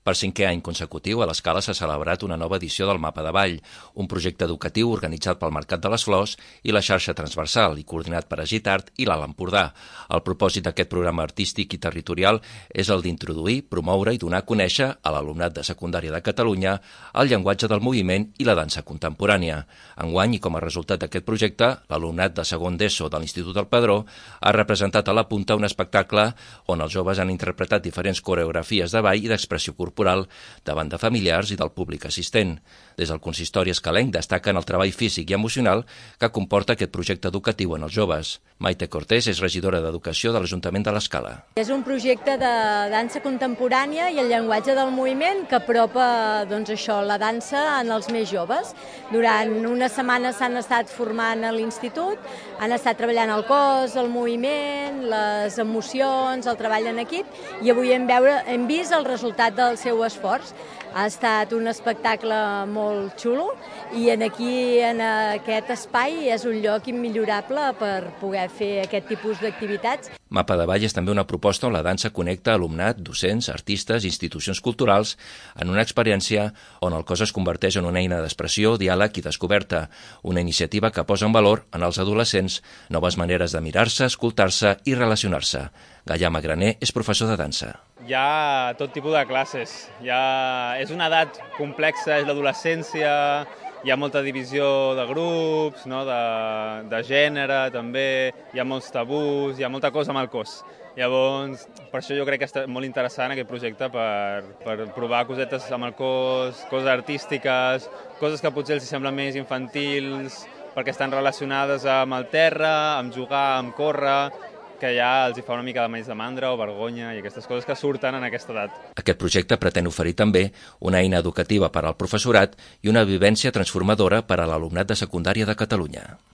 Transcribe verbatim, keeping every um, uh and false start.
Per cinquè any consecutiu, a l'Escala s'ha celebrat una nova edició del Mapa de Ball, un projecte educatiu organitzat pel Mercat de les Flors i la xarxa transversal i coordinat per Agitart i l'Alt Empordà. El propòsit d'aquest programa artístic i territorial és el d'introduir, promoure i donar a conèixer a l'alumnat de secundària de Catalunya el llenguatge del moviment i la dansa contemporània. Enguany, i com a resultat d'aquest projecte, l'alumnat de segon d'ESO de l'Institut del Padró ha representat a la punta un espectacle on els joves han interpretat diferents coreografies de ball i d'expressió corporal corporal davant de familiars i del públic assistent. Des del consistori escalenc destaquen el treball físic i emocional que comporta aquest projecte educatiu en els joves. Maite Cortés és regidora d'Educació de l'Ajuntament de l'Escala. És un projecte de dansa contemporània i el llenguatge del moviment que apropa doncs, això, la dansa en els més joves. Durant una setmana s'han estat formant a l'institut, han estat treballant el cos, el moviment, les emocions, el treball en equip i avui hem, veure, hem vist el resultat del seu esforç. Ha estat un espectacle molt xulo i en aquí, en aquest espai, és un lloc immillorable per poder fer aquest tipus d'activitats. Mapa de Ball és també una proposta on la dansa connecta alumnat, docents, artistes i institucions culturals en una experiència on el cos es converteix en una eina d'expressió, diàleg i descoberta, una iniciativa que posa en valor en els adolescents noves maneres de mirar-se, escoltar-se i relacionar-se. Gaià Magraner és professor de dansa. Hi ha tot tipus de classes. Hi ha... És una edat complexa, és l'adolescència, hi ha molta divisió de grups, no? de, de gènere també, hi ha molts tabús, hi ha molta cosa amb el cos. Llavors, per això jo crec que és molt interessant aquest projecte per, per provar cosetes amb el cos, coses artístiques, coses que potser els semblen més infantils, perquè estan relacionades amb el terra, amb jugar, amb córrer, que ja els hi fa una mica de menys de mandra o vergonya i aquestes coses que surten en aquesta edat. Aquest projecte pretén oferir també una eina educativa per al professorat i una vivència transformadora per a l'alumnat de secundària de Catalunya.